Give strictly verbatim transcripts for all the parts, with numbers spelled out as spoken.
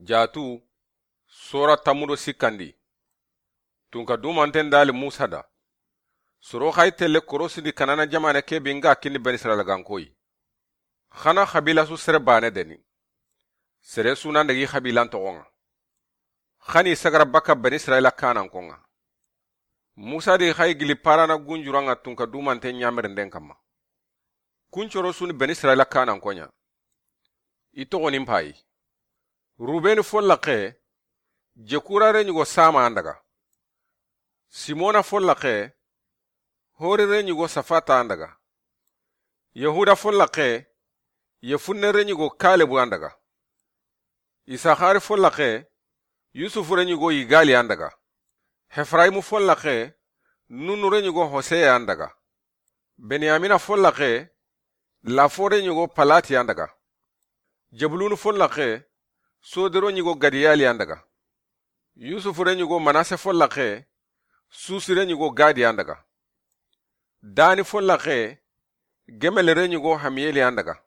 Jaatu, sora tammu do sikkandi. Tunka dumanten dali Musa da. Soro xa yi telle korosindi Kanana jamaane ke be nga kini Bani Israila gankoyi. Xana xabila su sere baane deni. Sere su nan dagi xabilan toxon ŋa. Xani sagara baka Bani Israila kanan kon ŋa. Musa di xa yi gili parana gunjuran ŋa tunka dumanten ɲamerinden kamma. Kuncoro su ni Bani Israila kanan koɲa. I toxonin payi. Rubeni folla xe, Jekura reɲugo Sama an daga. Simona folla xe, Hori reɲugo Safata an daga. Yahuda folla xe, Yefunne reɲugo Kalebu an daga. Isakari folla xe, Yusufu reɲugo Yigali an daga. Hefraimu folla xe, Nunu reɲugo Hoseye an daga. Benyamina folla xe, Lafo reɲugo Palati an daga. Jebulunu folla xe, Sodero ɲugo Gadiyali an daga. Yusufu reɲugo Manase folla xe, Susi reɲugo Gadi an daga. Dani folla xe, Gemele reɲugo Hamiyeli an daga.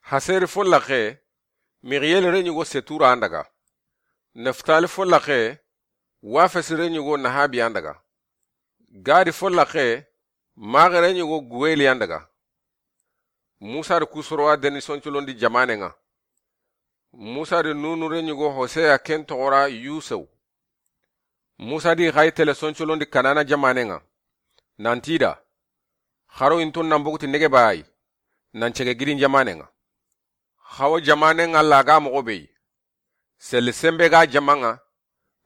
Haseri folla xe, Mixiyeli reɲugo Setura an daga. Neftali folla xe, Wafesi reɲugo Nahabi an daga. Gadi folla xe, Maxe reɲugo Guweli an daga. Musa di kusorowa deni soncolondi jamaane ŋa. Musa di Nunu reɲugo Hoseya ken toxora Yusew. Musa di xa yi tele soncolondi Kanana jamaane ŋa. Nanti da, xaro inton nan boguti nege bayi, nan cege gidin jamaane ŋa. Xawo jamaane ŋa laga moxo beyi. Seli sembe ga jama ŋa,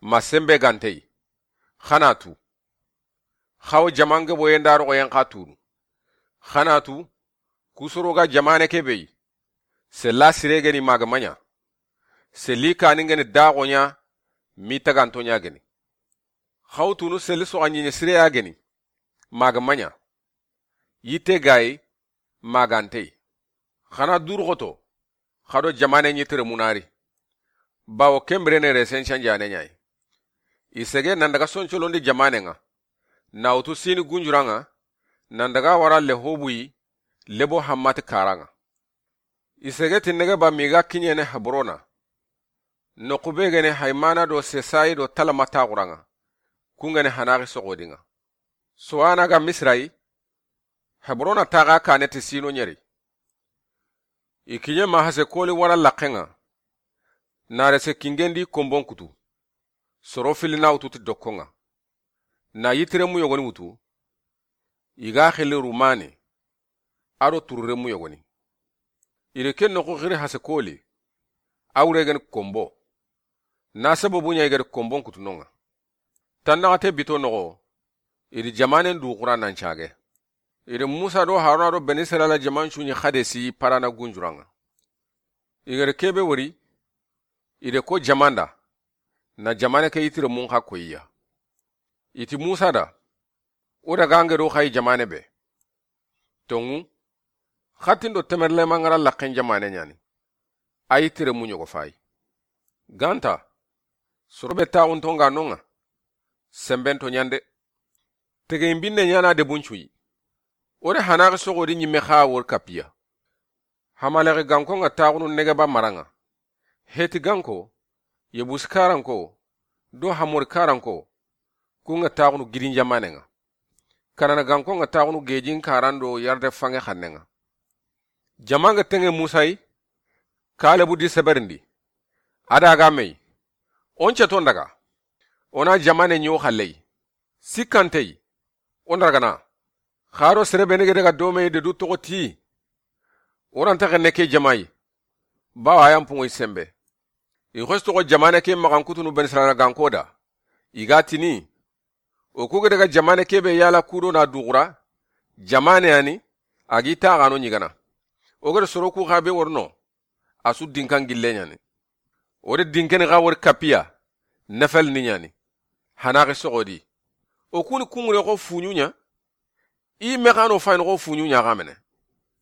ma sembe gantey. Xana tu. Xawo jaman gebo yenda roxo yen xa tunu. Xana tu, kusoro ga jamaane ke beyi. Sella sire geni maga maɲa. Seli kani geni daxoɲa, mi tagantoɲa geni. Xawo tunu seli soxa ɲiɲe sire ya geni. Maga maɲa. Yitte gayi, magantey. Xana durxoto, xado jamaane ɲi tere munari. Bawo kembirene resen canjane ɲayi. I sege nan daga soncolondi jamaane ŋa. Na wutu sini gunjura ŋa, nan daga wara Lehobuyi, lebo Hammati kara ŋa. I sege ti nege ba mi ga kiɲene Hebrona. Noxu be gene Haymana do Sesayi do Talama taxura ŋa. Kun gene Hanaxi soxodi ŋa. Sowana ga Misira yi, Hebrona taxa kane ti sino ɲeri. I kiɲe ma hase koli wara laxe ŋa. Na rese kingendi konbon kutu. Soro fili na wutu ti dokko ŋa. Na yitiremu yogoni wutu. I ga xili Rumani. Ado tururemu yogoni. I de ke noxu xiri hase koli. A wure geni konbo. Na sababu ɲa i gedi konbon kutu no ŋa. Tannaxate bito noxo, i di jamanen duxura nan cage. I di Musa do Haruna do Beni Israila jaman cuɲi Hadesi parana gunjura ŋa. I gedi kebe wori, i de ko jamanda, na jamaane ke yitire mun xa koyiya. I ti Musa da, o daga ngedo xayi jamaane be. Tonŋu, xatin do temerlema ŋara laxen jamaane ɲani. A yitiremu ɲogo fayi. Ganta, soro be taxunto ŋa no ŋa. Semben to ɲande. Tegeyin binne ɲana debun cuyi. O de Hanaxi soxodi ɲimme xa wori kapiya. Hamalexi ganko ŋa taxunu nege ba mara ŋa. Heti ganko, Yebusi karanko, do Hamori karanko, ku ŋa taxunu gidin jamaane ŋa. Kanana ganko ŋa taxunu gejin karan do yarde fange xanne ŋa. Jama ŋa teŋe Musa yi, Kalebu di seberindi. A daga me yi. O nce ton daga. O na jamaane ɲo xalle yi. Sikkante yi. O ndaragana. Xaro sere be nege daga dome de du toxo ti. O ranta xenne ke jama yi. Bawa yan punŋo yi sembe. I xos toxo jamaane ke maxan kutunu Beni Israila ganko da. I ga tini. O ku ga daga jamaane ke be yala kudo na duxura. Jamaane yani. A gi taxano ɲigana. O gada soro ku xa be worno. A su dinkan gille ɲani. O de dinkeni xa wori kapiya. Nefel ni ɲani. Hanaxi soxodi. O kuni kungure xo fuɲuɲa. I me xano fayini xo fuɲuɲa xa mene.